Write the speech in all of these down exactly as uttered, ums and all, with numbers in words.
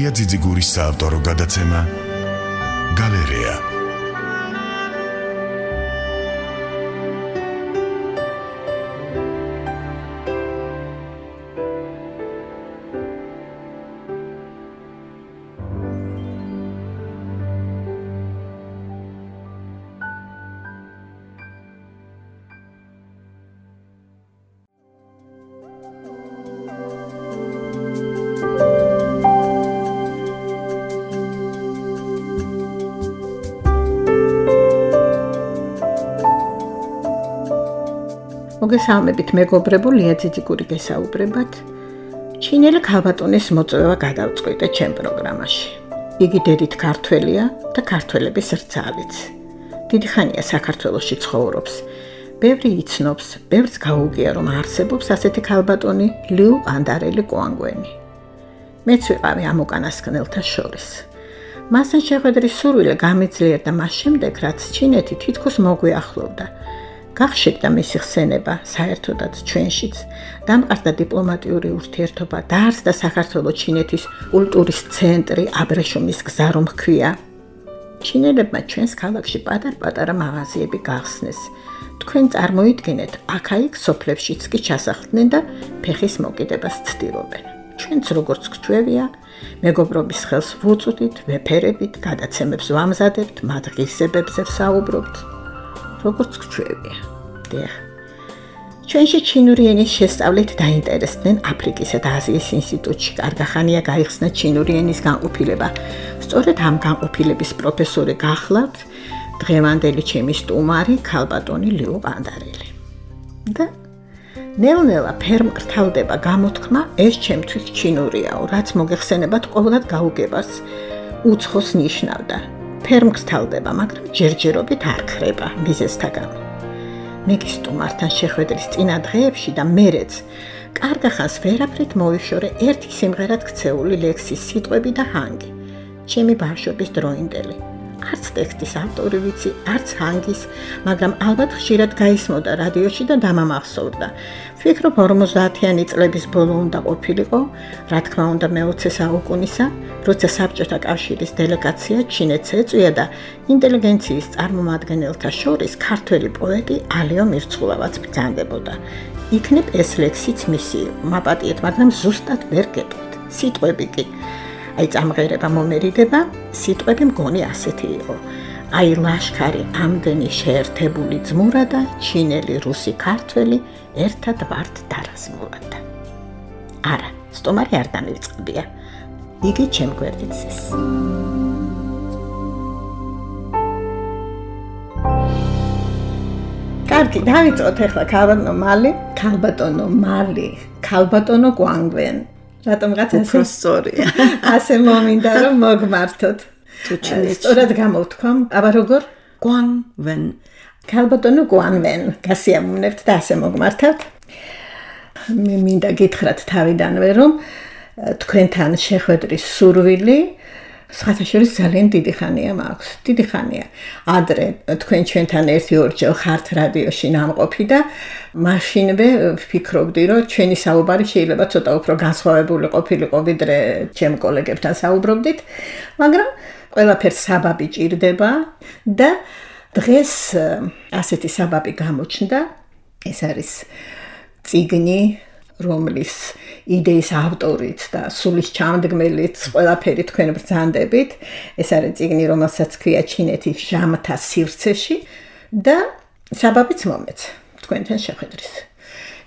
ლია ძიძიგურის საავტორო გადაცემა გალერეა. მოგესალმებით მეგობრებო, ლია ძიძიგური გესაუბრებათ. ჩინელი ქალბატონის მოწვევა გადავწყვიტე ჩემ პროგრამაში. იგი დედით ქართველია და ქართველების რძალიც. დიდი ხანია საქართველოში ცხოვრობს. ბევრი იცნობს, ბევრს გაუგია რომ არსებობს ასეთი ქალბატონი ლიუ ყანდარელი კვანგვენი. მეც ვიყავი ამ უკანასკნელთა შორის. მასთან შეხვედრის სურვილი გამეძლიერდა მას შემდეგ, რაც ჩინეთი თითქოს მოგვიახლოვდა. გახშեկდა მისი ხსენება საერთოდაც ჩვენშიც, დამყარდა დიპლომატიური ურთიერთობა, დაარსდა საქართველოს ჩინეთის კულტურის ცენტრი აბრეშუმის გზა რომ ჰქვია. ჩინელებმა ჩვენს ქალაქში პატარ-პატარა მაღაზიები გახსნეს. თქვენ წარმოიდგინეთ, აქა-იქ სოფლებშიც კი ჩასახლდნენ და ფეხის მოკიდებას ცდილობენ. ჩვენც როგორც გვჩვევია, მეგობრობის ხელს ვუწვდით, ვეფერებით, გადაცემებს ვამზადებთ, მათ ღირსებებზე ვსაუბრობთ. როგორც გვჩვევია. დიახ. ჩვენში ჩინური ენის შესწავლით დაინტერესდნენ აფრიკისა და აზიის ინსტიტუტში. კარგახანია გაიხსნა ჩინური ენის განყოფილება. სწორედ ამ განყოფილების პროფესორი გახლავთ დღევანდელი ჩემი სტუმარი ქალბატონი ლიუ ყანდარელი. და ნელ-ნელა ფერმკრთალდება გამოთქმა, ეს ჩემთვის ჩინურიაო, რაც მოგეხსენებათ ყოველად გაუგებარს უცხოს ნიშნავდა. ფერმკრთალდება, მაგრამ ჯერჯერობით არ ხრება მიზეზთაგან. მე კი სტუმართან შეხვედრის წინა დღეებში და მერეც კარგახანს ვერაფრით მოვიშორე ერთი სიმღერად ქცეული ლექსის სიტყვები და ჰანგი. ჩემი ბავშვობის დროინდელი. არც ტექსტის ავტორი ვიცი, არც ჰანგის, მაგრამ ალბათ ხშირად გაისმოდა რადიოში და დამამახსოვრდა. ვფიქრობ ორმოცდაათიანი წლების ბოლო უნდა ყოფილიყო, რა თქმა უნდა მეოცე საუკუნისა, როცა საბჭოთა კავშირის დელეგაცია ჩინეთს ეწვია და ინტელიგენციის წარმომადგენელთა შორის ქართველი პოეტი ალიო მირცხულავაც ბრძანდებოდა. იქნებ ეს ლექსიც მისი იყო, მაპატიეთ, მაგრამ ზუსტად ვერ გეტყვით. სიტყვები კი აი წამღერება მომერიდება, სიტყვები მგონი ასეთი იყო. აი ლაშქარი ამდენი შეერთებული ძმურა და ჩინელი, რუსი, ქართველი ერთად ვართ დარაზმულადა. არა, სტუმარი არ დამივწყებია. იგი ჩემ გვერდით ზის. კარგი, დავიწყოთ ახლა ქალბატონო მალი, ქალბატონო მალი, ქალბატონო კვანგვენ. რატომღაც უფრო სწორია. ასე მომინდა რომ მოგმართოთ. თუ ჩინეთში სწორად გამოვთქვამ, აბა როგორ? კვანგვენ. ქალბატონო კვანგვენ. გასიამოვნებთ და ასე მოგმართავთ. მე მინდა გითხრათ თავიდანვე რომ თქვენთან შეხვედრის სურვილი სხვათა შორის ძალიან დიდი ხანია მაქვს. დიდი ხანია. ადრე თქვენ ჩვენთან ერთი ორჯერ ხართ რადიოში ნამყოფი და მაშინვე ვფიქრობდი, რომ ჩვენი საუბარი შეიძლება ცოტა უფრო განსხვავებული ყოფილიყო, ვიდრე ჩემ კოლეგებთან საუბრობდით, მაგრამ ყველაფერს საბაბი ჭირდება და დღეს ასეთი საბაბი გამოჩნდა. ეს არის წიგნი, რომლის იდეის ავტორიც და სულის ჩამდგმელიც ყველაფერი თქვენ ბრძანდებით. ეს არის წიგნი, რომელსაც ქვია ჩინეთის ჟამთა სივრცეში და საბაბიც მომეც თქვენთან შეხვედრის.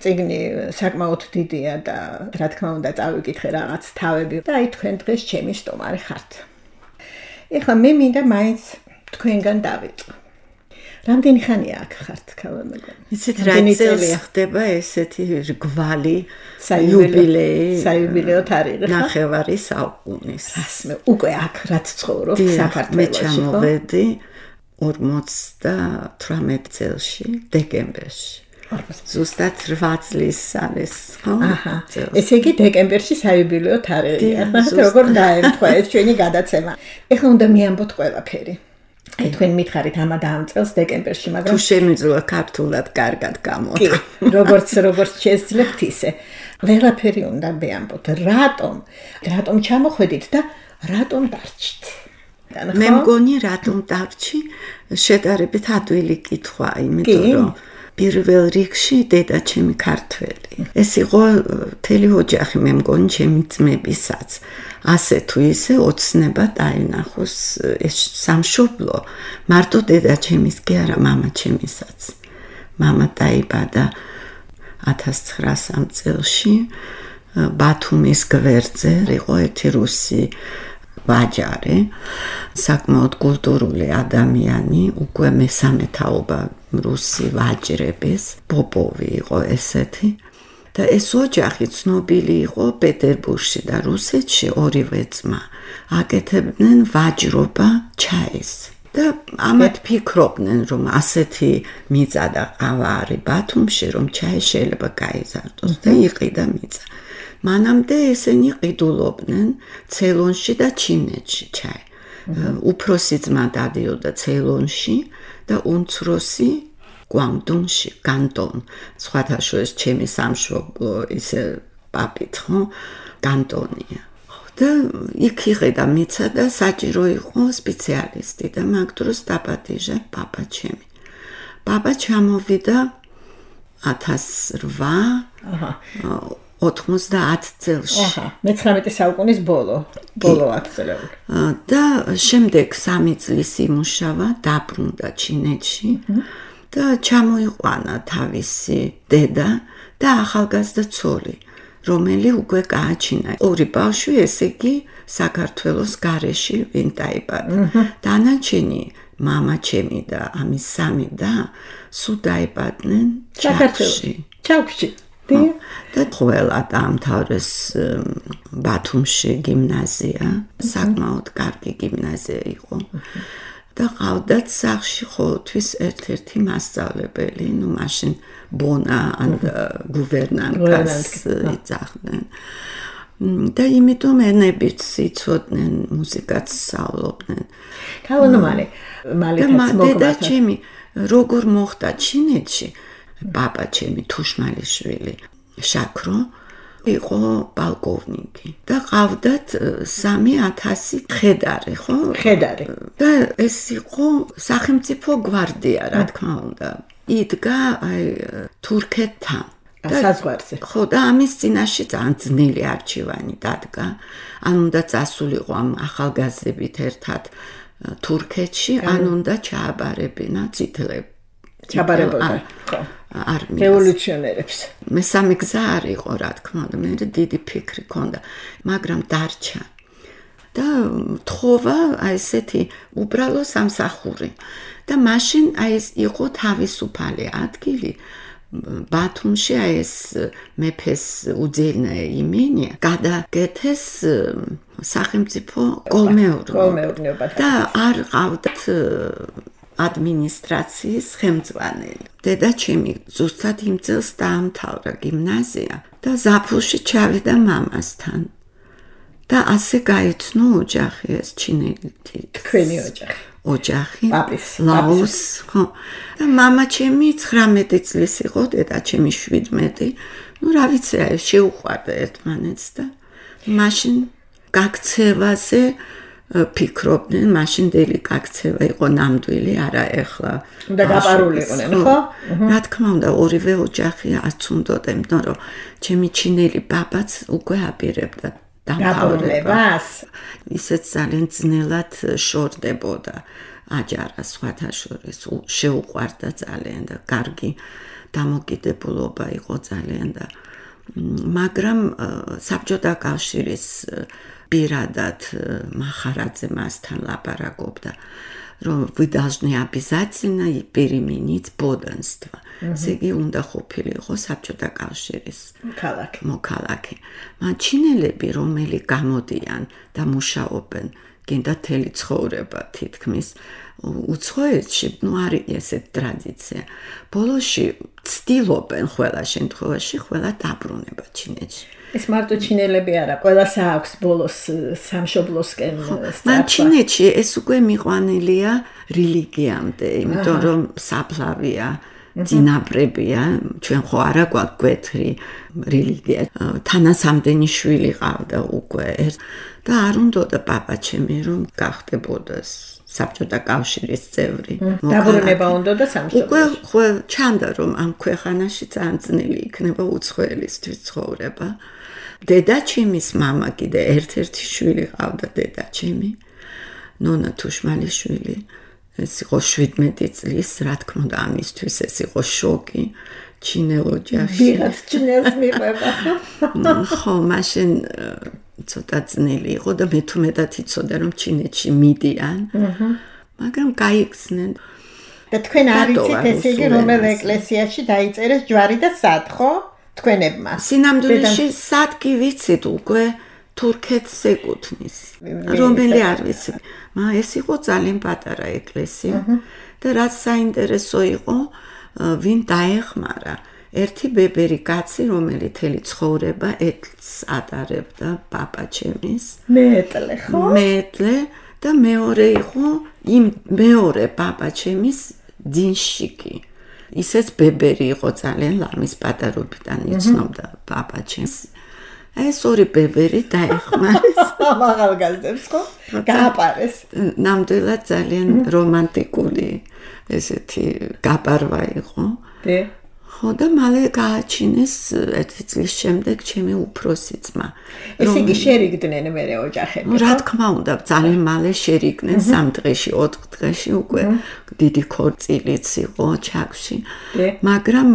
წიგნი საკმაოდ დიდია და რა თქმა უნდა წავიკითხე რაღაც თავები და აი თქვენ დღეს ჩემი სტუმარი ხართ. ეხლა მე მინდა მაინც თქვენგან დავიწყო. რამდენი ხანია აქ ხართ ქალბატონო? იცით რა წელი ხდება ესეთი რგვალი იუბილეი, საიუბილეო თარიღი ხა? ნახევარი საუკუნის. ასე უკვე აქ რაც ცხოვრობ საქართველოში. მე ჩამოვედი ორმოცდათვრამეტ წელში, დეკემბერში. ზუსტად რვა წლის არის, ხო? აჰა. ესე იგი დეკემბერში საიუბილეო თარიღია. როგორ დაემთხვა ეს ჩვენი გადაცემა? ეხლა უნდა მიამბოთ ყველაფერი. აი თქვენ მითხარით ამა დაამწელს დეკემბერში, მაგრამ თუ შემიძლია ქართულად კარგად გამოდო. როგორც როგორც შეძლებთ ისე. ყველაფერი უნდა მეამბოთ, რატომ? რატომ ჩამოხვედით და რატომ დარჩით? მე მგონი რატომ დარჩი შედარებით ადვილი კითხვა, იმიტომ რომ პირველ რიგში დედა ჩემი ქართველი. ეს იყო მთელი ოჯახი, მე მგონი ჩემი ძმებისაც. ასე თუ ისე ოცნება დაინახოს ეს სამშობლო. მარტო დედა ჩემის კი არა, მამა ჩემისაც. მამა დაიბადა ათას ცხრაასამ წელში ბათუმის გვერდზე, იყო ერთი რუსი ვაჯარი, საკმაოდ კულტურული ადამიანი, უკვე მესამე თაობა რუსი ვაჯრების, პოპოვი იყო ესეთი. და ეს ოჯახი ცნობილი იყო პეტერბურგში და რუსეთში ორივე ძმა აკეთებდნენ ვაჯრობა ჩაის. და ამათ ფიქრობდნენ, რომ ასეთი მიწა და ყავა არის ბათუმში, რომ ჩაი შეიძლება გაიზარდოს და იყიდა მიწა. მანამდე ესენი ყიდულობდნენ ცეილონში და ჩინეთში ჩაი. უფროსი ძმა დადიოდა ცეილონში და უმცროსი გვანგდუნში, კანტონ. სხვათა შორის ჩემი სამშობლო ისე პაპით, ხო? კანტონია. და იქ იყიდა მიწა და საჭირო იყო სპეციალისტი და მაგ დროს დაპატიჟა პაპა ჩემი. პაპა ჩამოვიდა ათას რვა ოთხმოცდაათ წელში. აჰა, მეცხრამეტე საუკუნის ბოლო, ბოლო ათწლეული. და შემდეგ სამი წლის იმუშავა, დაბრუნდა ჩინეთში და ჩამოიყვანა თავისი დედა და ახალგაზრდა ცოლი, რომელი უკვე გააჩინა. ორი ბავშვი, ესე იგი, საქართველოს გარეში ვინ დაიბადა. დანარჩენი მამა ჩემი და ამის სამი და სულ დაიბადნენ ჩაკში. ჩაკში. და ყველა დაამთავრეს ბათუმში გიმნაზია, საკმაოდ კარგი გიმნაზია იყო. და ყავდათ სახლში ყოველთვის ერთ-ერთი მასწავლებელი, ну მაშინ ბონა ან გუვერნანტკას იძახდნენ. და იმიტომ ენებიც იცოდნენ, მუსიკაც სწავლობდნენ. ქალონო მალე, მალე და ჩემი როგორ მოხდა ჩინეთში, პაპა ჩემი თუშმალიშვილი შაქრო იყო პალკოვნიკი და ყავდათ სამი ათასი ხედარი, ხო? ხედარი. და ეს იყო სახელმწიფო გვარდია, რა თქმა უნდა. იდგა აი თურქეთთან საზღვარზე. ხო, და ამის წინაშე ძალიან ძნელი არჩევანი დადგა. ან უნდა წასულიყო ამ ახალგაზრდებით ერთად თურქეთში, ან უნდა ჩააბარებინა წითლები. ჩაბარებოდა, ხო. არმიას. რევოლუციონერებს. მესამე გზა არ იყო, რა თქმა უნდა, მე დიდი ფიქრი ჰქონდა, მაგრამ დარჩა. და თხოვა აი ესეთი უბრალო სამსახური. და მაშინ აი ეს იყო თავისუფალი ადგილი. ბათუმში აი ეს მეფეს უძილნე იმენი გადაგეთეს სახელმწიფო კოლმეურნეობა და არ ყავდათ ადმინისტრაციის ხელმძღვანელი. დედა ჩემი ზუსტად იმ წელს დაამთავრა გიმნაზია და ზაფხულში ჩავიდა მამასთან. და ასე გაიცნო ოჯახი ეს ჩინელი. თქვენი ოჯახი. ოჯახი. პაპის. ლაოს, ხო. და მამა ჩემი ცხრამეტი წლის იყო, დედა ჩემი შვიდმეტი. ну რა ვიცი, შეუყვარდა ერთმანეთს და მაშინ გაქცევაზე ფიქრობდნენ, მაშინდელი გაქცევა იყო ნამდვილი, არა ეხლა. უნდა გაპარულიყვნენ, ხო? რა თქმა უნდა, ორივე ოჯახი აცუნდოდა, იმიტომ რომ ჩემი ჩინელი პაპაც უკვე აპირებდა დამთავრებას. ისეც ძალიან ძნელად შორდებოდა აჯარა სხვათა შორის, შეუყვარდა ძალიან და კარგი დამოკიდებულობა იყო ძალიან და მაგრამ საბჭოთა კავშირის პირადად მახარაძე მასთან ლაპარაკობდა, რომ вы должны обязательно переменить подданство. ესე იგი უნდა ყოფილიყო საბჭოთა კავშირის ქალაქი. მოქალაქე. მაგრამ ჩინელები, რომელი გამოდიან და მუშაობენ გინდა თელი ცხოვრება თითქმის უცხოეთში ნუ არის ესეთი ტრადიცია ბოლოში ცდილობენ ყველა შემთხვევაში ყველა დაბრუნება ჩინეთში ეს მარტო ჩინელები არა ყველას აქვს ბოლოს სამშობლოსკენ მან ჩინეთში ეს უკვე მიყვანილია რელიგიამდე იმიტომ რომ საფლავია ძინაბრებია ჩვენ ხო არა გვაქვს გვეთრი რელიგია თანასამდენი შვილი ყავდა უკვე და არ უნდოდა პაპაჩემი რომ გახდებოდას საბჭოთა კავშირის წევრი დაბრუნება უნდოდა სამშობლოში უკვე ხო ჩანდა რომ ამ ქვეყანაში ძალიან ძნელი იქნება უცხოელისთვის ცხოვრება დედაჩემის მამა კიდე ერთ-ერთი შვილი ყავდა დედაჩემი ნონა თუშმალიშვილი ეს იყო შვიდმეტი წლის, რა თქმა უნდა, ამისთვის ეს იყო შოკი, ჩინელ ოჯახში. ვიღაც ჩინელს მიყვება. ხო, მაშინ ცოტა ძნელი იყო და მე თუ მეტად იცოდა რომ ჩინეთში მიდიან. მაგრამ გაიხსნენ. და თქვენ არ იცით ესე იგი რომელ ეკლესიაში დაიწერეს ჯვარი და სად, ხო? თქვენებმა. სინამდვილეში სად კი ვიცით უკვე თურქეთს ეკუთვნის. რომელი არ ვიცი. მა ეს იყო ძალიან პატარა ეკლესია და რაც საინტერესო იყო, ვინ დაეხმარა. ერთი ბებერი კაცი, რომელიც თელი ცხოვრება ეთლს ატარებდა პაპაჩემის. მეტლე, ხო? მეტლე და მეორე იყო იმ მეორე პაპაჩემის დინშიკი. ისეც ბებერი იყო ძალიან ლამის პატარობიდან იცნობდა პაპაჩემს. ეს ორი ბებერი დაეხმარეს ახალგაზრდებს ხო? გააპარეს. ნამდვილად ძალიან რომანტიკული ესეთი გაპარვა იყო. დე ხო და მალე გააჩინეს ერთი წლის შემდეგ ჩემი უფროსი ძმა. ესე იგი შერიგდნენ მერე ოჯახები. რა თქმა უნდა, ძალიან მალე შერიგდნენ სამ დღეში, ოთხ დღეში უკვე დიდი ქორწილიც იყო ჩაკში. მაგრამ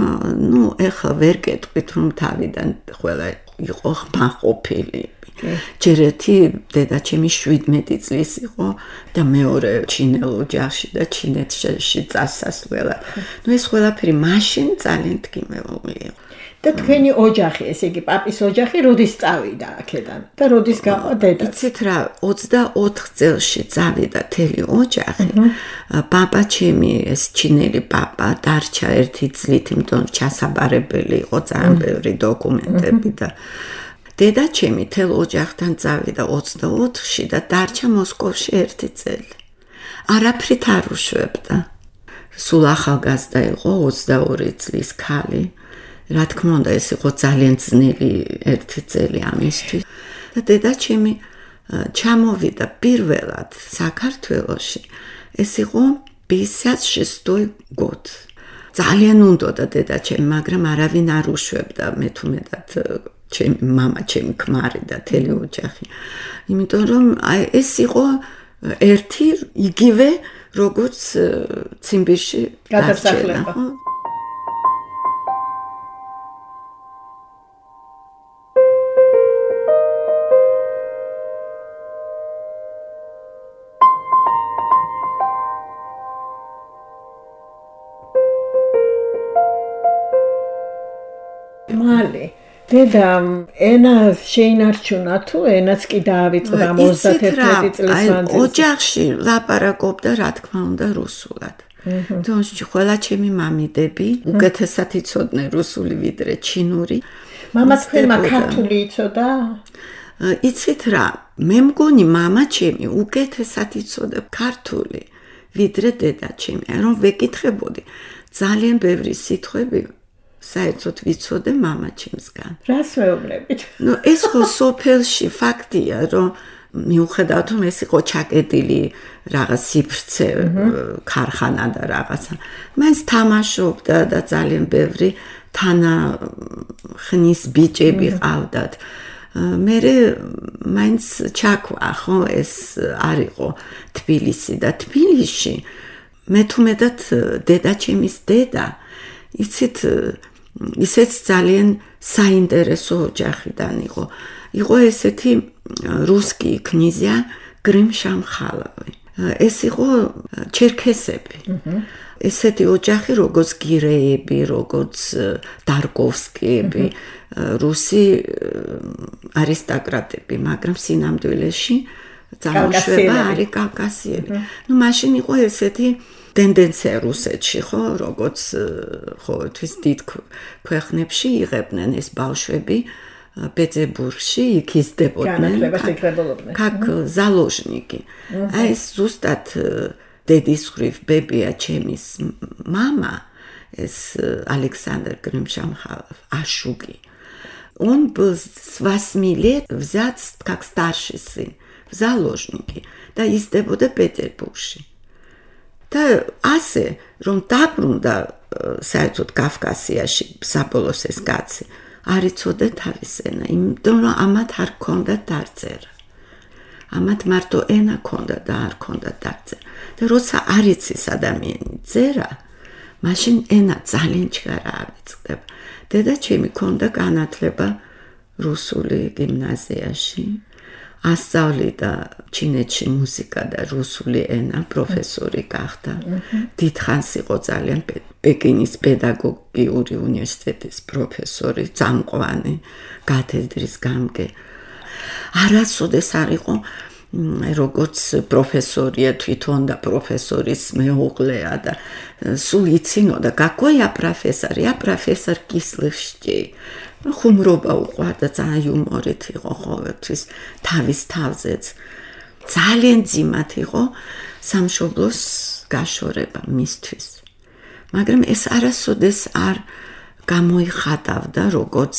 ნუ ეხლა ვერ გეტყვით რომ თავიდან ყველა იყო ხმაყოფილი. ჯერ ერთი დედაჩემი შვიდმეტი წლის იყო და მეორე ჩინელ ოჯახში და ჩინეთში წასასვლელად. ნუ ეს ყველაფერი მაშინ ძალიან თქმეული იყო. და თქვენი ოჯახი, ესე იგი პაპის ოჯახი როდის წავიდა აქედან და როდის გაყო დედა? იცით რა, ოცდაოთხ წელში წავიდა თელი ოჯახი. პაპაჩემი ეს ჩინელი პაპა დარჩა ერთი წლით, იმიტომ ჩასაბარებელი იყო ძალიან ბევრი დოკუმენტები და დედაჩემი თელ ოჯახთან წავიდა ოცდაოთხში და დარჩა მოსკოვში ერთი წელი. არაფრით არ უშვებდა. სულ ახალგაზრდა იყო ოცდაორი წლის ქალი. რა თქმა უნდა, ეს იყო ძალიან ძნელი ერთი წელი ამისთვის. და დედაჩემი ჩამოვიდა პირველად საქართველოში. ეს იყო пятьдесят шестой год. ძალიან უნდოდა დედაჩემი, მაგრამ არავინ არ უშვებდა, მე თუ მეტად ჩემი мама, ჩემი ქმარი და თელი ოჯახი. იმიტომ რომ აი ეს იყო ერთი იგივე როგორც ციმბირში გადასახლება. მალე დედა ენა შეინარჩუნა თუ ენაც კი დაავიწყდა ოცდაერთი წლის მანძილზე. ოჯახში ლაპარაკობდა რა თქმა უნდა რუსულად. თუმცა ყველა ჩემი მამიდები უკეთესად იცოდნენ რუსული ვიდრე ჩინური. მამა თქვენმა ქართული იცოდა? იცით რა, მე მგონი მამა ჩემი უკეთესად იცოდა ქართული ვიდრე დედა ჩემი. რომ ვეკითხებოდი ძალიან ბევრი სიტყვები საერთოდ ვიცოდე მამაჩემსგან. რას მეუბნებით? ნუ ეს ხო სოფელში ფაქტია, რომ მიუხედავად რომ ეს იყო ჩაკეტილი რაღაც სიფრცე ქარხანა და რაღაცა. მაინც თამაშობდა და ძალიან ბევრი თანა ხნის ბიჭები ყავდათ. მე მაინც ჩაქვა ხო ეს არ იყო თბილისი და თბილისში მე თუ მეტად დედაჩემის დედა იცით ისეც ძალიან საინტერესო ოჯახიდან იყო. იყო ესეთი რუსკი კნიზია გრიმ-შამხალოვი. ეს იყო ჩერქესები. ესეთი ოჯახი როგორც გირეები, როგორც დარკოვსკიები, რუსი არისტოკრატები, მაგრამ სინამდვილეში წარმოშვება არის კავკასიელი. ნუ მაშინ იყო ესეთი ტენდენცია რუსეთში, ხო, როგორც ხო თვის დიდ ქვეყნებში იღებდნენ ეს ბავშვები პეტერბურგში იქ იზრდებოდნენ. как заложники. აი ეს ზუსტად დედის ხრივ ბებია ჩემის мама, ეს Александр Гримшамхалов, Ашуги. Он был с восьми лет взят как старший сын в заложники და იზრდებოდა პეტერბურგში. და ასე რომ დაბრუნდა საერთოდ კავკასიაში საბოლოოს ეს კაცი არ იცოდა თავის ენა, იმიტომ რომ ამათ არ ქონდა დარწერა. ამათ მარტო ენა ქონდა და არ ქონდა დარწერა. და როცა არ იცის ადამიანი წერა, მაშინ ენა ძალიან ჩქარა ავიწყდება. დედაჩემი ქონდა განათლება რუსული გიმნაზიაში. ასწავლიდა ჩინეთში მუსიკა და რუსული ენა, პროფესორი გახდა. დიდხანს იყო ძალიან პეკინის პედაგოგიური უნივერსიტეტის პროფესორი, წამყვანი, კათედრის გამგე. არასოდეს არ იყო როგორც პროფესორია თვითონ და პროფესორის მეუღლეა და სულ იცინოდა, какой я профессор, я профессор кислых щей. ხუმრობა უყვარდა, ძალიან იუმორით იყო ყოველთვის თავის თავზეც. ძალიან ძიმათ იყო სამშობლოს გაშორება მისთვის. მაგრამ ეს არასოდეს არ გამოიხატავდა როგორც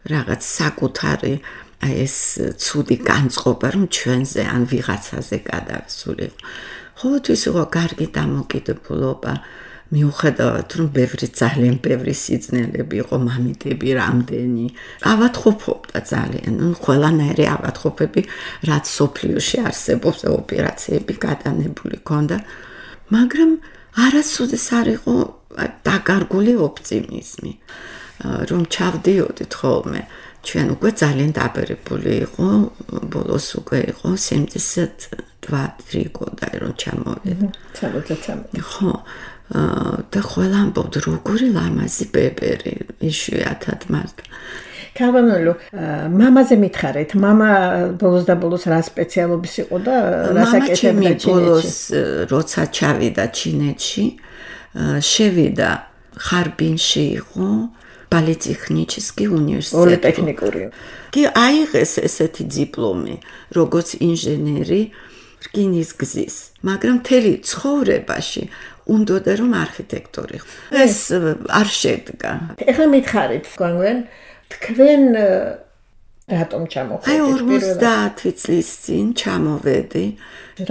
რაღაც საკუთარი ეს ცუდი განწყობა, რომ ჩვენზე ან ვიღაცაზე გადასულიყო. ყოველთვის იყო კარგი დამოკიდებულება, მიუხედავად რომ ბევრი ძალიან ბევრი სიძნელები იყო, მამიდები რამდენი. ავადმყოფობდა ძალიან, ну ყველანაირი ავადმყოფები, რაც სოფლიოში არსებობს, ოპერაციები გადანებული ქონდა, მაგრამ არასოდეს არ იყო დაკარგული ოპტიმიზმი, რომ ჩავდიოდით ხოლმე. ჩვენ უკვე ძალიან დაბერებული იყო, ბოლოს უკვე იყო семьдесят два три года რომ ჩამოვიდა. ხო, და ყველა ამბობდა როგორი ლამაზი ბებერი, იშვიათად მარტო. ქალბატონო, მამაზე მითხარით, მამა ბოლოს და ბოლოს რა სპეციალობის იყო და რა საკეთებდა ჩინეთში? ბოლოს როცა ჩავიდა ჩინეთში, შევიდა ხარბინში იყო პოლიტექნიკური უნივერსიტეტი. პოლიტექნიკური. კი აიღეს ესეთი დიპლომი, როგორც ინჟინერი რკინის გზის, მაგრამ მთელი ცხოვრებაში უნდოდა რომ არქიტექტორი. ეს არ შედგა. ეხლა მითხარით, გვანგვენ, თქვენ რატომ ჩამოხვედით? აი ორმოცდაათი წლის წინ ჩამოვედი.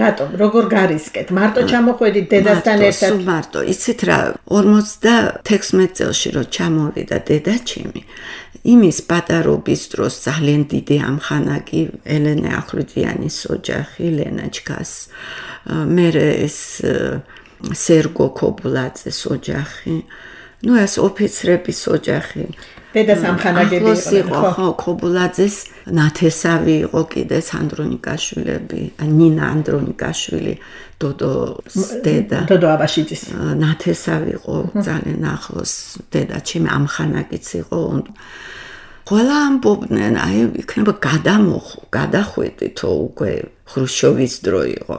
რატომ? როგორ გარისკეთ? მარტო ჩამოხვედით დედასთან ერთად? სულ მარტო. იცით რა, ორმოცდათექვსმეტ წელში რომ ჩამოვიდა დედაჩემი, იმის პატარობის დროს ძალიან დიდი ამხანაგი ელენე ახვლედიანის ოჯახი, ლენაჩკას, მერე ეს სერგო ქობულაძეს ოჯახი, ну ეს ოფიცრების ოჯახი. დედას ამხანაგები იყო, ხო, ქობულაძეს ნათესავი იყო კიდე ანდრონიკაშვილები, ნინა ანდრონიკაშვილი, დოდოს დედა. დოდო აბაშიძის. ნათესავი იყო ძალიან ახლოს დედაჩემი, ამხანაგიც იყო. ყველა ამბობდნენ, აი იქნება გადამოხ, გადახვედითო უკვე ხრუშჩოვის დრო იყო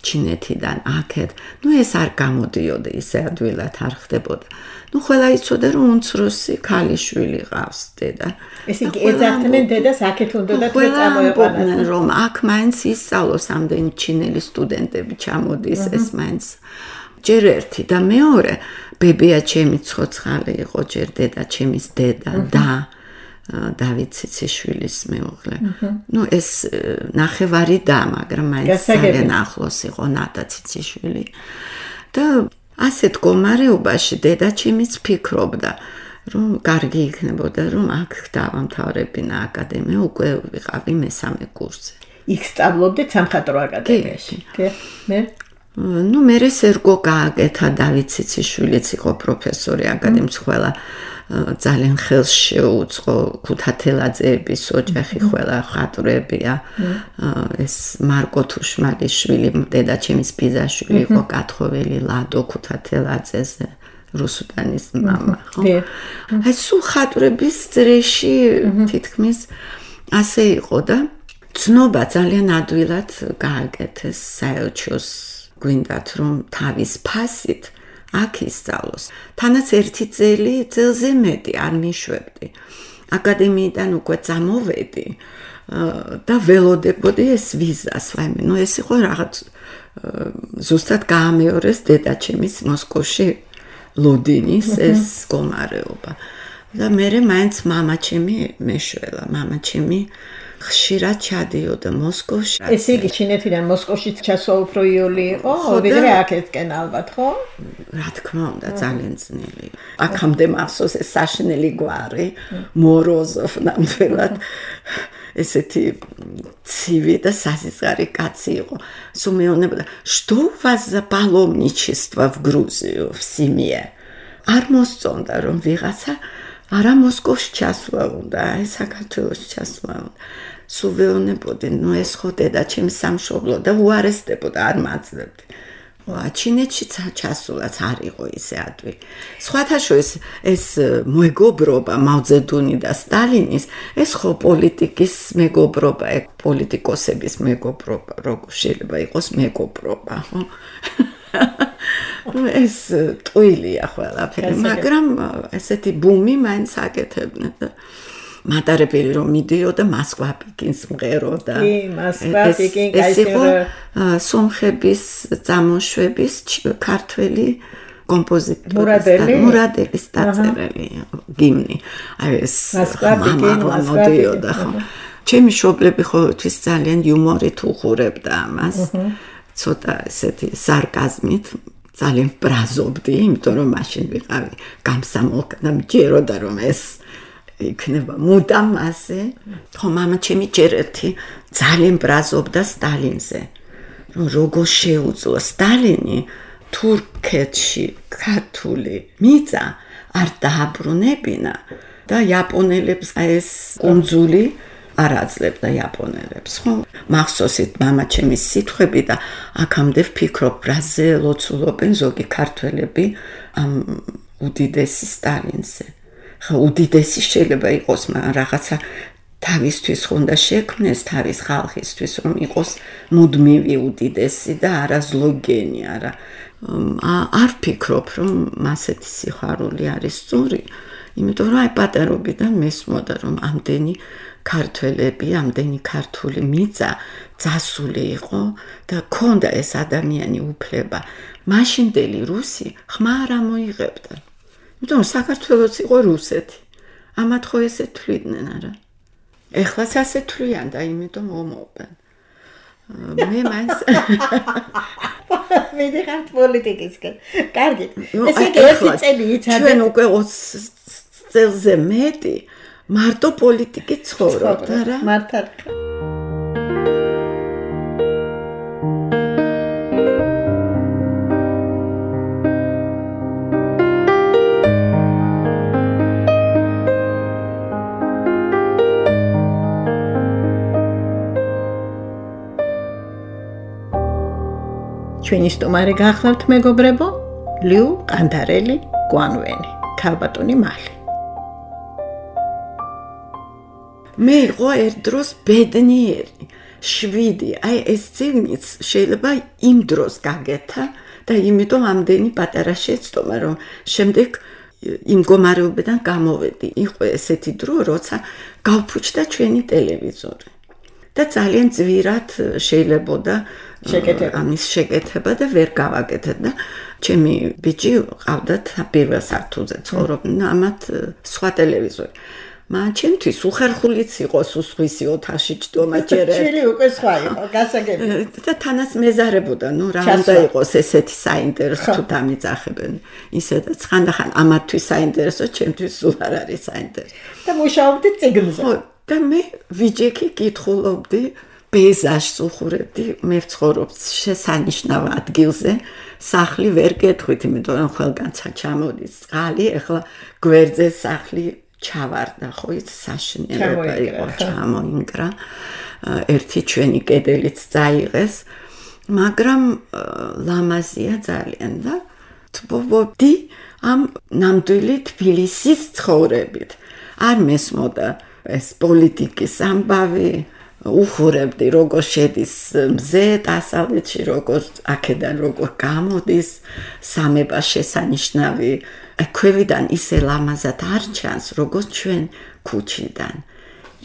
ჩინეთიდან აქეთ. ну ეს არ გამოდიოდა, ისე ადვილად არ ხდებოდა. ну ყველა იცოდა რომ უმცროსი ქალიშვილი ყავს დედა. ეს იგი ეძახდნენ დედას აქეთ უნდოდა თუ წამოეყვანათ, რომ აქ მაინც ისწავლოს ამდენი ჩინელი სტუდენტები ჩამოდის ეს მაინც. ჯერ ერთი და მეორე ბებია ჩემი ცოცხალი იყო, ჯერ დედა ჩემის დედა და დავით ციციშვილის მეუღლე. ну ეს ნახევარი და, მაგრამ მაინც ძალიან ახლოს იყო ნატა ციციშვილი. და ასეთ მდგომარეობაში დედაჩემიც ფიქრობდა, რომ კარგი იქნებოდა, რომ აქ დავამთავრებინა აკადემია, უკვე ვიყავი მესამე კურსზე. იქ სწავლობდით სამხატვრო აკადემიაში. კი, მე ну მერე სერგო გააკეთა, დავით ციციშვილიც იყო პროფესორი აკადემიის, ყველა ძალიან ხელს შეუწყო, ქუთათელაძეების ოჯახი ყველა ხატვრებია. ეს მარკო თუშმალიშვილი, დედაჩემის ბიძაშვილი იყო, კათხოველი ლადო ქუთათელაძეზე, რუსუდანის მამა, ხო? აი სულ ხატვრების წრეში თითქმის ასე იყო და ცნობა ძალიან ადვილად გააკეთეს საელჩოს გვინდათ რომ თავის ფასით აქ ისწავლოს. თანაც ერთი წელი წელზე მეტი არ მიშვებდი. აკადემიიდან უკვე წამოვედი და ველოდებოდი ეს ვიზას, ვაიმე, ნუ ეს იყო რაღაც ზუსტად გაამეორეს დედაჩემის მოსკოვში ლოდინის ეს გომარეობა. და მერე მაინც მამაჩემი მეშველა, მამაჩემი ხშირად ჩადიოდა მოსკოვში. ესე იგი ჩინეთიდან მოსკოვში ჩასვა უფრო იოლი იყო, ვიდრე აქეთკენ ალბათ, ხო? რა თქმა უნდა, ძალიან ძნელი. აქამდე მახსოვს ეს საშინელი გვარი, მოროზოვ ნამდვილად ესეთი ცივი და სასიცხარი კაცი იყო. Су მეუბნებოდა, "Что у вас за паломничество в Грузию, в семье?" არ მოსწონდა რომ ვიღაცა არა მოსკოვში ჩასვლა უნდა, აი საქართველოში ჩასვლა უნდა. სულ ვეუბნებოდი, ნუ ეს ხო დედაჩემი სამშობლო და უარესდებოდა, არ მაძლევდი. ჩინეთში ჩასულაც არ იყო ისე ადვილი. სხვათა შორის ეს მეგობრობა მაოძედუნი და სტალინის, ეს ხო პოლიტიკის მეგობრობა, ეგ პოლიტიკოსების მეგობრობა, როგორ შეიძლება იყოს მეგობრობა, ხო? ეს ტყუილია ყველაფერი, მაგრამ ესეთი ბუმი მაინც აკეთებდნენ და მატარებელი რომ მიდიოდა მოსკვა პეკინს მღეროდა. კი, მოსკვა პეკინ კაისრო სომხების წარმოშვების ქართველი კომპოზიტორი მურადელის დაწერილი გიმნი. აი ეს მოსკვა პეკინ მოდიოდა ხო. ჩემი მშობლები ყოველთვის ძალიან იუმორით უხურებდა ამას. ცოტა ესეთი სარკაზმით ძალიან ბრაზობდი, იმიტომ რომ მაშინ ვიყავი გამსამოლკა და მჯეროდა რომ ეს იქნება მუდამ ასე. ხო, მამაჩემი ჯერ ერთი ძალიან ბრაზობდა სტალინზე. რომ როგორ შეუძლო სტალინი თურქეთში ქართული მიწა არ დააბრუნებინა და იაპონელებს ეს კუნძული არ აძლევდა იაპონელებს, ხო? მახსოვსით მამაჩემის სიტყვები და აქამდე ვფიქრობ, რაზე ლოცულობენ ზოგი ქართველები ამ უდიდესი სტალინზე. ხო, უდიდესი შეიძლება იყოს, მაგრამ რაღაცა თავისთვის უნდა შექმნეს, თავის ხალხისთვის რომ იყოს მუდმივი უდიდესი და არა ზლოგენი, არა. არ ვფიქრობ, რომ მასეთი სიხარული არის სწორი, იმიტომ რომ აი პატარობიდან მესმოდა რომ ამდენი ქართველები, ამდენი ქართული მიწა ძასული იყო და ქონდა ეს ადამიანი უფლება. მაშინდელი რუსი ხმა არ ამოიღებდა. იმიტომ რომ საქართველოც იყო რუსეთი. ამათ ხო ესე თვლიდნენ, არა? ეხლაც ასე თვლიან და იმიტომ ომობენ. მე მაინც მიდიხართ პოლიტიკისკენ. კარგი. ესე იგი ერთი წელი იცავთ. ჩვენ უკვე ოცი წელზე მეტი მარტო პოლიტიკით ცხოვრობთ, არა? მართალ. ჩვენი სტუმარი გახლავთ მეგობრებო, ლიუ ყანდარელი გვანვენი, ქალბატონი მალი. მე იყო ერთ დროს ბედნიერი, შვიდი, აი ეს წიგნიც შეიძლება იმ დროს გაგეთა და იმიტომ ამდენი პატარა შეცდომა, რომ შემდეგ იმ მდგომარეობიდან გამოვედი. იყო ესეთი დრო, როცა გავფუჭდა ჩვენი ტელევიზორი. და ძალიან ძვირად შეიძლებოდა ამის შეკეთება და ვერ გავაკეთეთ და ჩემი ბიჭი ყავდათ პირველ სართულზე ცხოვრობდნენ, ამათ სხვა ტელევიზორი. მაგრამ ჩემთვის უხერხულიც იყო სუსხვისი ოთახში ჭდომა ჯერ ერთ. შილი უკვე სხვა იყო, გასაგები. და თანაც მეზარებოდა, ნუ რა უნდა იყოს ესეთი საინტერესო თუ დამიძახებენ. ისედაც ხანდახან ამათთვის საინტერესო, ჩემთვის სულ არ არის საინტერესო. და მუშაობდი წიგნზე. და მე ვიჯექი კითხულობდი, პეიზაჟს უხურებდი, მე ვცხოვრობ შესანიშნავ ადგილზე, სახლი ვერ გეტყვით, იმიტომ რომ ყველგანცა ჩამოდის წყალი, ეხლა გვერდზე სახლი ჩავარდა, ხო ის საშინელება იყო, ჩამოინგრა, ერთი ჩვენი კედელიც წაიღეს, მაგრამ ლამაზია ძალიან და თბობდი ამ ნამდვილი თბილისის ცხოვრებით. არ მესმოდა ეს პოლიტიკის ამბავი, უხურებდი როგორ შედის მზე დასავლეთში, როგორ აქედან როგორ გამოდის სამება შესანიშნავი ქვევიდან ისე ლამაზად არ ჩანს, როგორც ჩვენ ქუჩიდან.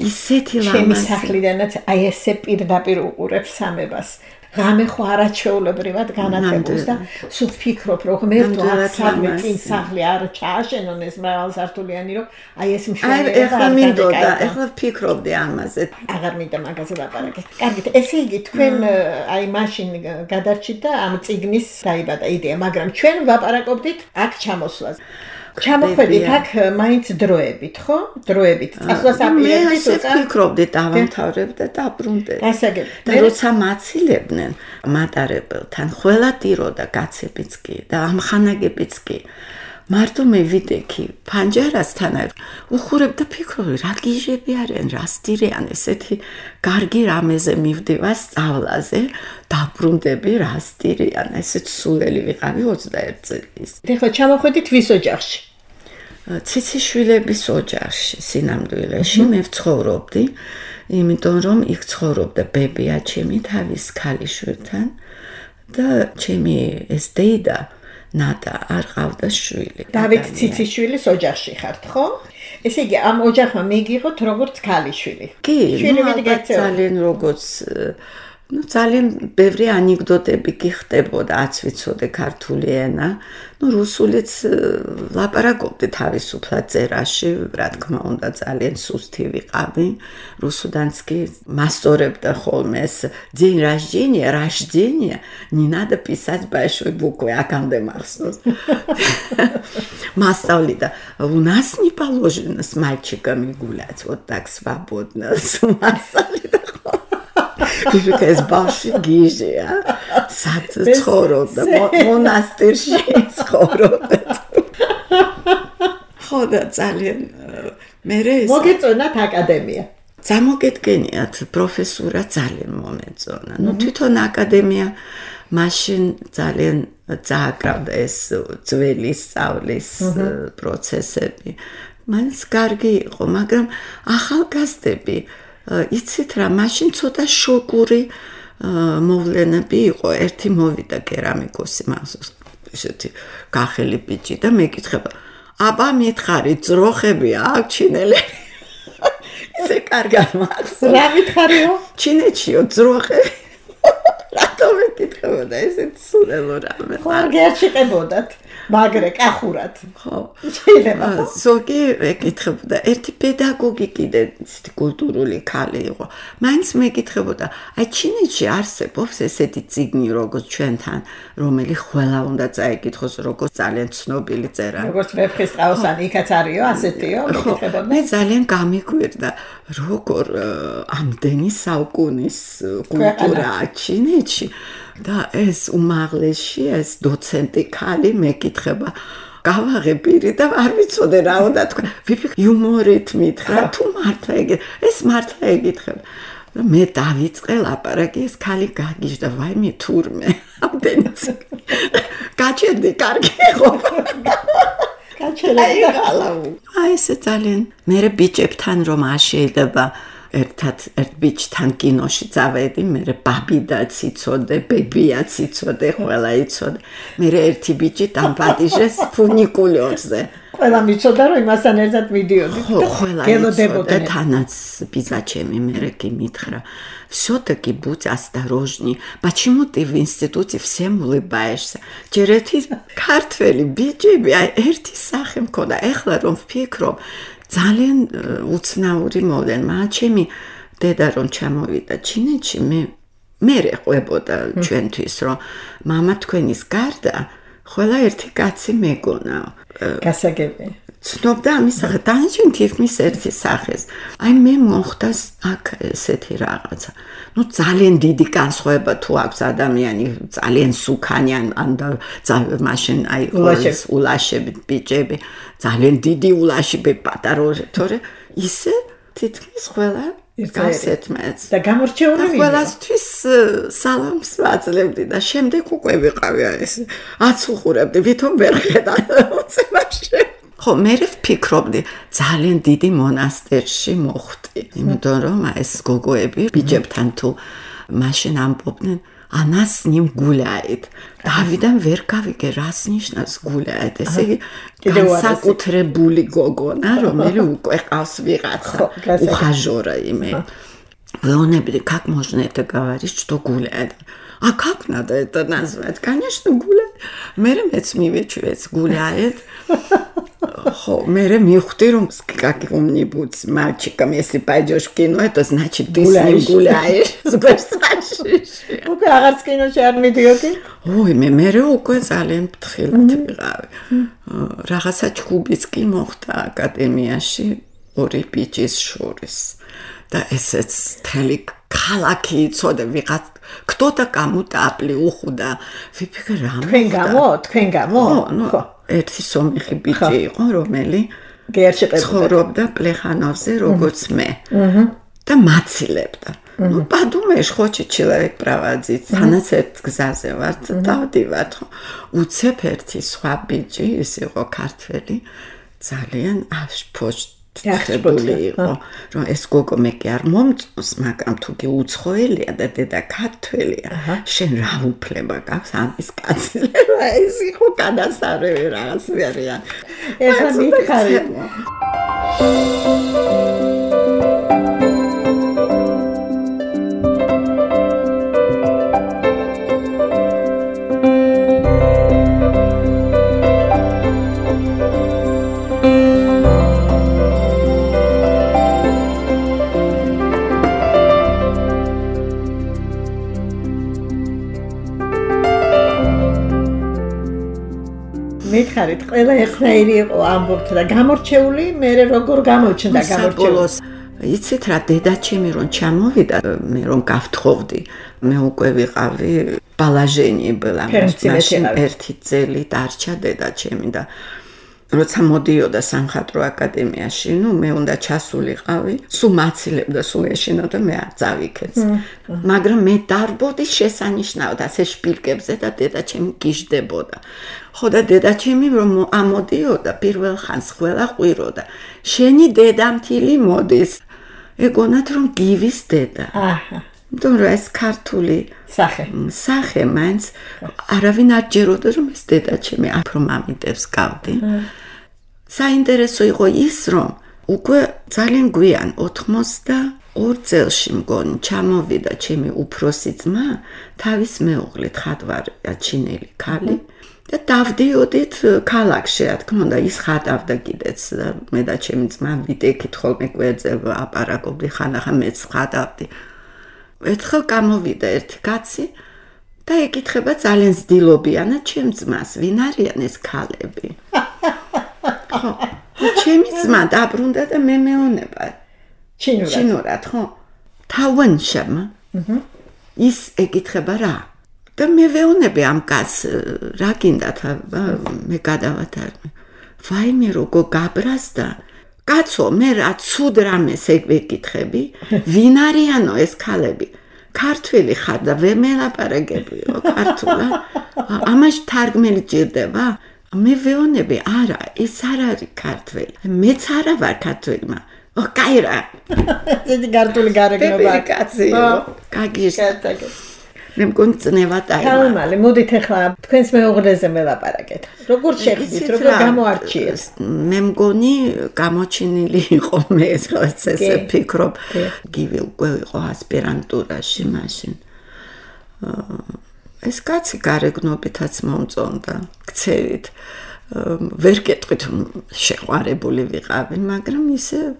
ისეთი ლამაზი. ჩემი სახლიდანაც აი ესე პირდაპირ უყურებს სამებას. ღამე ხო არაჩვეულებრივად განათებულს და სულ ვფიქრობ, რომ ღმერთო აქ სადმე წინ სახლი არ ჩააშენონ ეს მრავალსართულიანი, რომ აი ეს მშვენიერება არ მინდოდა, ეხლა ვფიქრობდი ამაზე. აღარ მინდა მაგაზე ლაპარაკი. კარგით, ესე იგი თქვენ აი მაშინ გადარჩით და ამ წიგნის დაიბადა იდეა, მაგრამ ჩვენ ვაპარაკობდით აქ ჩამოსვლას. ჩამოხვედით აქ მაინც დროებით, ხო? დროებით. წასვლას აპირებდით უცა? მე ვფიქრობდი დავამთავრებ და დაბრუნდე. გასაგები. და როცა მაცილებდნენ მატარებელთან, ყველა ტიროდა კაცებიც კი და ამხანაგებიც კი. მარტო მე ვიდექი ფანჯარასთან უხურებ და ფიქრობდი, რა გიჟები არიან, რა სტირიან, ესეთი კარგი რამეზე მივდივა სწავლაზე, დაბრუნდები რა სტირიან, ესეც სულელი ვიყავი ოცდაერთი წლის. ეხლა ჩამოხვედით ვის ოჯახში? ციციშვილების ოჯახში, სინამდვილეში მე ვცხოვრობდი, იმიტომ რომ იქ ცხოვრობდა ბებია ჩემი თავის ქალიშვილთან და ჩემი ეს დეიდა ნატა არ ყავდა შვილი. დავით ციციშვილის ოჯახში ხართ, ხო? ესე იგი, ამ ოჯახმა მიგიღოთ როგორც ქალიშვილი. კი, ძალიან როგორც ну ძალიან ბევრი ანეკდოტები გიხდებოდა, აც ვიცოდე ქართული ენა. ну რუსულიც ლაპარაკობდი თავისუფლად წერაში, რა თქმა უნდა, ძალიან სუსტი ვიყავი. რუსუდანც კი მასწორებდა ხოლმე ეს день рождения, рождения, не надо писать большой буквой, акამდე махсос. Масწავლიდა, у нас не положено с мальчиками гулять, вот так свободно. Масწავლიდა. Типа ეს ბავშვი გიჟია, სად ცხოვრობდა, მონასტერში ცხოვრობდა. ხო და ძალიან მე ეს მოგეწონათ აკადემია. Замოგედგენიათ პროფესურა ძალიან მომეწონა. ну თვითონ აკადემია მაშინ ძალიან წააკრავდა ეს ძველი სწავლის პროცესები. მაინც კარგი იყო, მაგრამ ახალგაზრდები იცით რა, მაშინ ცოტა შოკური მოვლენები იყო. ერთი მოვიდა კერამიკოსი მახსოვს, ესეთი გახელი ბიჭი და მეკითხება, აბა მითხარი, ძროხები აქვს ჩინელები? ისე კარგად მახსოვს. რა მითხარიო? ჩინეთშიო ძროხები. რატო მეკითხებოდა ესეთ სულელო რამე? ხო, არ შეყებოდათ. მაგრე კახურად. ხო. შეიძლება. ზოგი ეკითხებოდა, ერთი პედაგოგი კიდე კულტურული ქალი იყო. მაინც მეკითხებოდა, აი ჩინეთში არსებობს ესეთი წიგნი როგორც ჩვენთან, რომელიც ყველა უნდა წაიკითხოს, როგორც ძალიან ცნობილი წერა. როგორც ვეფხის ყავსანი იქაც არისო, ასეთიო, მეკითხებოდა. მე ძალიან გამიგვირდა, როგორ ამდენი საუკუნის კულტურა ჩინეთში. და ეს უმაღლესში ეს დოცენტი ქალი მეკითხება, გავაღებირი და არ ვიცოდე რა უნდა თქვა. ვიფიქრე იუმორით მითხრა, თუ მართლა ეგ ეს მართლა ეკითხება. და მე დავიწყე ლაპარაკი, ეს ქალი გაგიჟდა, ვაიმე თურმე, ამდენი. გაჩერდი, კარგი იყო. გაჩერდი ხალავ. აი ესე ძალიან მე ბიჭებთან რომ არ შეიძლება ერთად ერთ ბიჭთან კინოში წავედი, მე ბაბი და ციცოდე, ბებია ციცოდე, ყველა იცოდე. მე ერთი ბიჭი დამპატიჟეს ფუნიკულიორზე. ყველა მიცოდა რომ იმასთან ერთად მიდიოდი. ყველა იცოდა, თანაც ბიძაჩემი მე კი მითხრა. Всё-таки будь осторожней. Почему ты в институте всем улыбаешься? ჯერ ერთი ქართველი ბიჭები, აი ერთი სახე მქონდა. ეხლა რომ ვფიქრობ, ძალიან უცნაური მოვლენა. ჩემი დედა რომ ჩამოვიდა ჩინეთში, მე მე ყვებოდა ჩვენთვის, რომ მამა თქვენის გარდა ყველა ერთი კაცი მეგონა. გასაგები. ცნობდა ამის სახეს, დანარჩენ თითქმის ერთი სახეს. აი მე მოხდა აქ ესეთი რაღაცა. ну ძალიან დიდი განსხვავება თუ აქვს ადამიანი ძალიან სუქანი ან მაშინ აი ულაშები ბიჭები ძალიან დიდი ულაშები პატარა თორე ისე თითქმის ყველა გასეთმეც და გამორჩეული ვიდა ყველასთვის სალამს ვაძლევდი და შემდეგ უკვე ვიყავი ეს აცუხურებდი ვითომ ვერ ხედა უცებაში ხო მე ვფიქრობდი ძალიან დიდი მონასტერში მოხვდი მარტი. იმიტომ რომ ეს გოგოები ბიჭებთან თუ მაშინ ამბობდნენ она с ним гуляет. Давიდან ვერ გავიგე რას ნიშნავს гуляет. ესე იგი განსაკუთრებული გოგონა, რომელიც უკვე ყავს ვიღაცა ухажёра ime. Веонебли, как можно это говорить, что гуляет? А как надо это назвать? Конечно, гуляет. Мере მეც მივეჩვეც гуляет. Хо, мере мивхти, რომ как умнибудь мальчиком, если пойдешь в кино, это значит ты с ним гуляешь. Супер-спашиш. უკვე აღარც კინოში არ მიდიოდი? ой, მე მერე უკვე ძალიან ფრთხილად ვიყავი. რაღაცა ჩხუბიც კი მოხდა აკადემიაში ორი ბიჭის შორის. და ესეც თელი ქალაქი იცოდა ვიღაც кто-то кому-то аплиухуда. ვიფიქრე რა მოხდა? თქვენ გამო, თქვენ გამო? ხო, ერთი სომეხი ბიჭი იყო, რომელი გერშეყებოდა. ცხოვრობდა პლეხანოვზე, როგორც მე. და მაცილებდა. Ну, подумаешь, хочет человек проводить. Санაცერთ გზაზე ვარ, დავდივარ. უცებ ერთი სხვა ბიჭი, ის იყო ქართველი, ძალიან აშფოშ ხებული იყო, რომ ეს გოგო მე კი არ მომწონს, მაგრამ თუ კი უცხოელია და დედა ქართველია, შენ რა უფლება გაქვს ამის კაცლება? ეს იყო გადასარევი რაღაც ვერიანი. ეხლა მითხარი. მითხარით, ყველა ერთნაირი იყო ამბობთ და გამორჩეული, მე როგორ გამოჩნდა გამორჩეული. იცით რა, დედაჩემი რომ ჩამოვიდა, მე რომ გავთხოვდი, მე უკვე ვიყავი ბალაჟენი ბლა, მაშინ ერთი წელი დარჩა დედაჩემი და როცა მოდიოდა სამხატვრო აკადემიაში, ნუ მე უნდა ჩასულიყავი, სულ მაცილებდა, სულ ეშინოდა, მე არ წავიქეც. მაგრამ მე დარბოდი შესანიშნავად ასე შპილკებზე და დედაჩემი გიждდებოდა. ხო და დედაჩემი რომ ამოდიოდა, პირველ ხანს ყველა ყვიროდა. შენი დედამთილი მოდის. ეგონათ რომ გივის დედა. აჰა. იმიტომ რომ ეს ქართული სახე. სახე მაინც არავინ არ ჯეროდა რომ ეს დედაჩემი აფრო მამიდებს გავდი. საინტერესო იყო ის რომ უკვე ძალიან გვიან ოთხმოცდაორ წელში მგონი ჩამოვიდა ჩემი უფროსი ძმა თავის მეუღლით ხატვარია ჩინელი ქალი და დავდიოდით ქალაქში რა თქმა უნდა ის ხატავდა კიდეც მე და ჩემი ძმა ვიდექით ხოლმე გვერდზე აპარაკობდი ხანახა მეც ხატავდი. ერთხელ გამოვიდა ერთი კაცი და ეკითხება ძალიან ზდილობიანად ჩემ ძმას, ვინ არიან ეს ქალები? ხო, ჩემი ძმა დაბრუნდა და მე მეუნება. ჩინურად. ჩინურად, ხო. თავენშამ. ის ეკითხება რა? და მე ვეუნები ამ კაცს, რა გინდათ, მე გადავათარგმნე. ვაიმე როგორ გაბრაზდა. კაცო, მე რა ცუდ რამეს ეკითხები? ვინ არიანო ეს ქალები? ქართველი ხარ და ვერ მელაპარაკებიო ქართულად. ამაში თარგმელი ჭირდება? მე ვეონები, არა, ეს არ არის ქართველი. მეც არა ვარ ქართველი, მაგრამ ო, კაი რა. ეს ქართული გარეგნობა. კაცი. კაგის. მე მგონი წნევად აი. თალმალი, მოდით ახლა თქვენს მეუღლეზე მელაპარაკეთ. როგორ შეხვდით, როგორ გამოარჩიეს? მე მგონი გამოჩინილი იყო მე ეს ესე ფიქრობ. გივი უკვე იყო ასპირანტურაში მაშინ. ეს კაცი გარეგნობითაც მომწონდა, ქცევით. ვერ გეტყვით შეყვარებული ვიყავი, მაგრამ ისე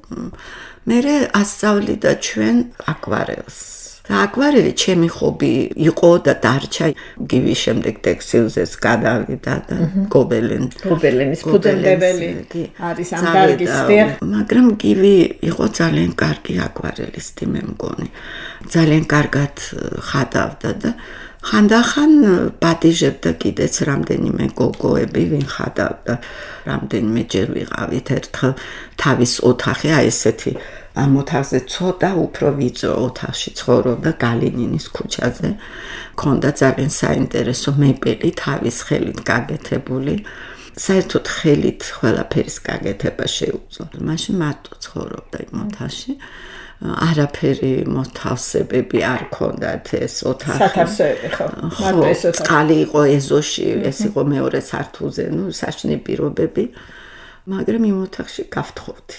მე ასწავლიდა ჩვენ აკვარელს. და აკვარელი ჩემი ხობი იყო და დარჩა. გივის შემდეგ ტექსტილზეც გადავიდა და გობელენ. გობელენის ფუძემდებელი არის ამ დარგის სფერო. მაგრამ გივი იყო ძალიან კარგი აკვარელისტი მე მგონი. ძალიან კარგად ხატავდა და ხანდახან პატიჟებდა კიდეც რამდენიმე გოგოები, ვინ ხატავდა. რამდენიმე ჯერ ვიყავით ერთხელ თავის ოთახი, აი ესეთი ამ ოთახზე ცოტა უფრო ვიწრო ოთახში ცხოვრობდა გალინინის ქუჩაზე. ქონდა ძალიან საინტერესო მებელი თავის ხელით გაკეთებული. საერთოდ ხელით ყველაფერის გაკეთება შეუძლო. მაშინ მარტო ცხოვრობდა იმ ოთახში. არაფერი მოთავსებები არ ქონდათ ეს ოთახი. სათავსოები ხო? მარტო ეს ოთახი. წყალი იყო ეზოში, ეს იყო მეორე სართულზე, ну, საშინე პირობები. მაგრამ იმ ოთახში გავთხოვდი.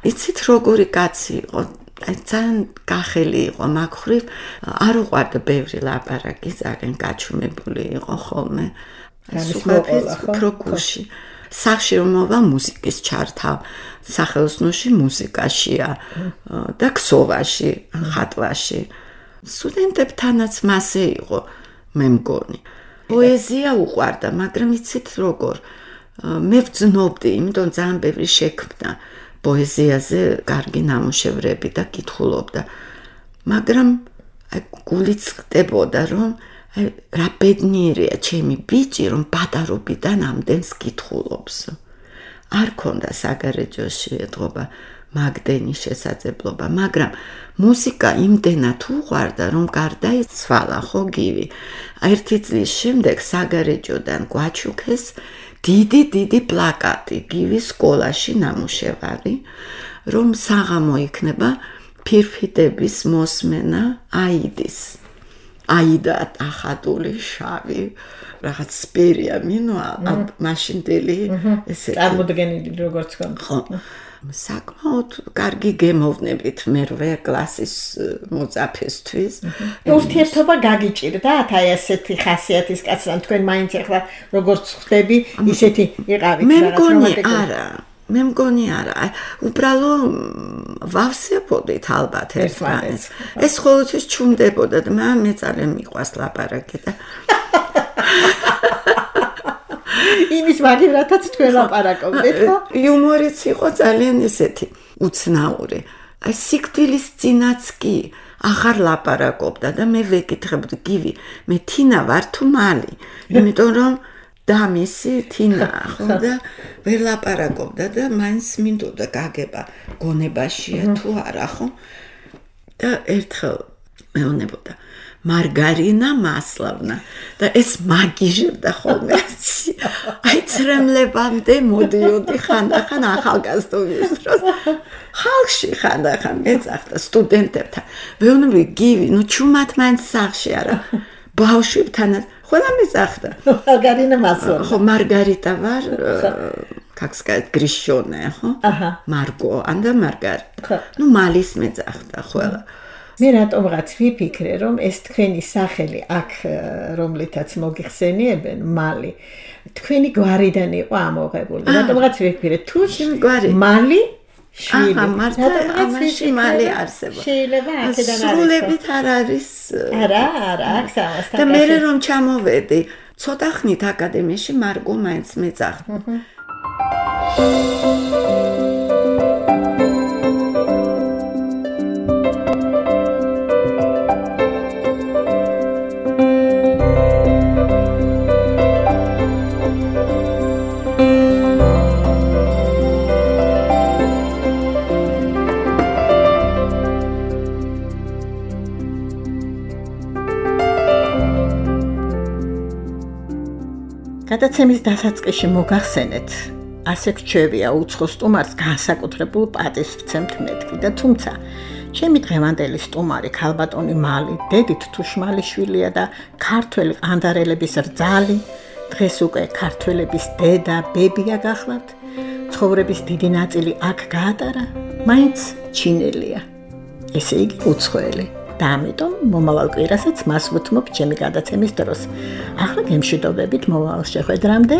იცით როგორი კაცი იყო? აი ძალიან გახელი იყო მაგხრივ, არ უყვარდა ბევრი ლაპარაკი, ძალიან გაჩუმებული იყო ხოლმე. სულაფის პროკურში. სახში რომ მოვა მუსიკის ჩართავ, სახელოსნოში მუსიკაშია და ქსოვაში, ხატვაში. სტუდენტებთანაც მასე იყო, მე მგონი. პოეზია უყვარდა, მაგრამ იცით როგორ? მე ვძნობდი, იმიტომ ძალიან ბევრი შექმნა პოეზიაზე კარგი ნამუშევრები და კითხულობდა. მაგრამ აი გულიც ხდებოდა, რომ აი რა ბედნიერია ჩემი ბიჭი, რომ პატარობიდან ამდენს კითხულობს. არ ქონდა საგარეჯოში ეთღობა მაგდენი შესაძლებლობა, მაგრამ მუსიკა იმდენად უყვარდა, რომ გარდაიცვალა ხო გივი. ერთი წლის შემდეგ საგარეჯოდან გვაჩუქეს დიდი დიდი პლაკატი გივის სკოლაში ნამუშევარი, რომ საღამო იქნება ფირფიტების მოსმენა აიდის. აიდა ახადული შავი, რაღაც სპერია მინოა, მაშინდელი ესეთი. წარმოდგენილი როგორც ხომ. ხო. საკმაოდ კარგი გემოვნებით მერვე კლასის მოწაფესთვის. ურთიერთობა გაგიჭირდათ აი ესეთი ხასიათის კაცთან, თქვენ მაინც ახლა როგორც ხდები, ისეთი იყავით მე მგონი არა. მე მგონი არა. უბრალო ვავსებოდით ალბათ ერთმანეთს. ეს ყოველთვის ჩუმდებოდა და მე ძალიან მიყვარს ლაპარაკი და იმის მაგერათაც თქვენ ლაპარაკობდით, ხო? იუმორიც იყო ძალიან ესეთი უცნაური. აი სიკვდილის წინაც კი აღარ ლაპარაკობდა და მე ვეკითხებდი, გივი, მე თინა ვარ თუ მალი? იმიტომ რომ დამისი თინა ხო და ვერ ლაპარაკობდა და მაინც მინდოდა გაგება გონებაშია თუ არა ხო? და ერთხელ მეუბნებოდა მარგარინა მასლავნა და ეს მაგიჟებდა ხოლმე. აი ცრემლებამდე მოდიოდი ხანდახან ახალგაზრდობის დროს. ხალხში ხანდახან მეძახდა სტუდენტებთან. ვეუბნები გივი, ნუ ჩუმად მაინც სახში არა. ბავშვებთანაც ყველა მეძახდა. მარგარინა მასლავნა. ხო, მარგარიტა ვარ, как сказать, грещёная, ხო? აჰა. მარგო, ანდა მარგარიტა. ნუ მალის მეძახდა ყველა. მე რატომღაც ვიფიქრე, რომ ეს თქვენი სახელი აქ, რომლითაც მოგიხსენიებენ, მალი, თქვენი გვარიდან იყო ამოღებული. რატომღაც ვიფიქრე, თუ მალი შვილი. აჰა, მარტო ამაში მალი არსებობს. შეიძლება აქედან არის. სრულებით არ არის. არა, არა, აქ სამასთან. და მე რომ ჩამოვედი, ცოტა ხნით აკადემიაში მარგო მაინც მეძახდა. გადაცემის დასაწყისში მოგახსენეთ, ასე გჩვევია უცხო სტუმარს განსაკუთრებულ პატივს ვცემთ მეთქი და თუმცა ჩემი დღევანდელი სტუმარი ქალბატონი მალი, დედით თუშმალიშვილია და ქართველი ყანდარელების რძალი, დღეს უკვე ქართველების დედა, ბებია გახლავთ, ცხოვრების დიდი ნაწილი აქ გაატარა, მაინც ჩინელია. ესე იგი უცხოელი. და ამიტომ მომავალ კვირასაც მას ვუთმობ ჩემი გადაცემის დროს. ახლა გემშვიდობებით მომავალ შეხვედრამდე.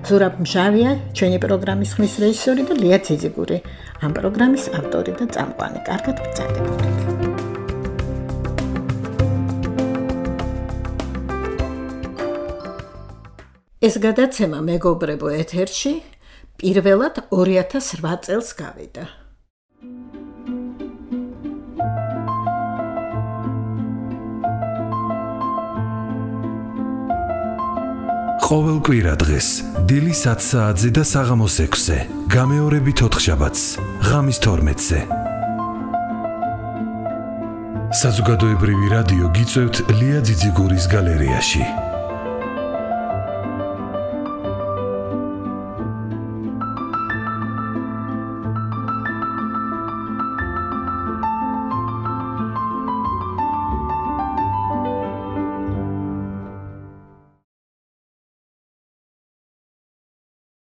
ზურაბ მჟავია ჩვენი პროგრამის ხმის რეჟისორი და ლია ციზიგური, ამ პროგრამის ავტორი და წამყვანი. კარგად ბრძანდებოდეთ. ეს გადაცემა მეგობრებო ეთერში პირველად ორი ათას რვა წელს გავიდა. ყოველ კვირა დღეს დილის ათ საათზე და საღამოს ექვსზე, გამეორებით ოთხშაბათს, ღამის თორმეტზე. საზოგადოებრივი რადიო გიწევთ ლია ძიძიგურის გალერეაში.